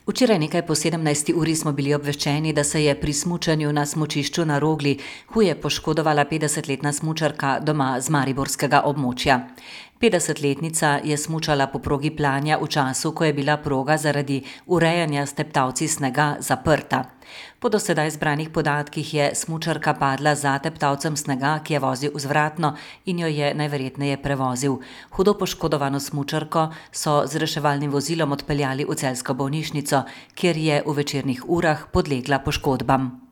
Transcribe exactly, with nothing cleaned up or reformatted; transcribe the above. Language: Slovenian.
Včeraj nekaj po sedemnajsti uri smo bili obveščeni, da se je pri smučanju na smučišču na Rogli huje poškodovala petdesetletna smučarka doma z mariborskega območja. petdesetletnica je smučala po progi Planja v času, ko je bila proga zaradi urejanja s teptalci snega zaprta. Po do sedaj zbranih podatkih je smučarka padla za teptalcem snega, ki je vozil vzvratno in jo je najverjetneje prevozil. Hudo poškodovano smučarko so z reševalnim vozilom odpeljali v celjsko bolnišnico, kjer je v večernih urah podlegla poškodbam.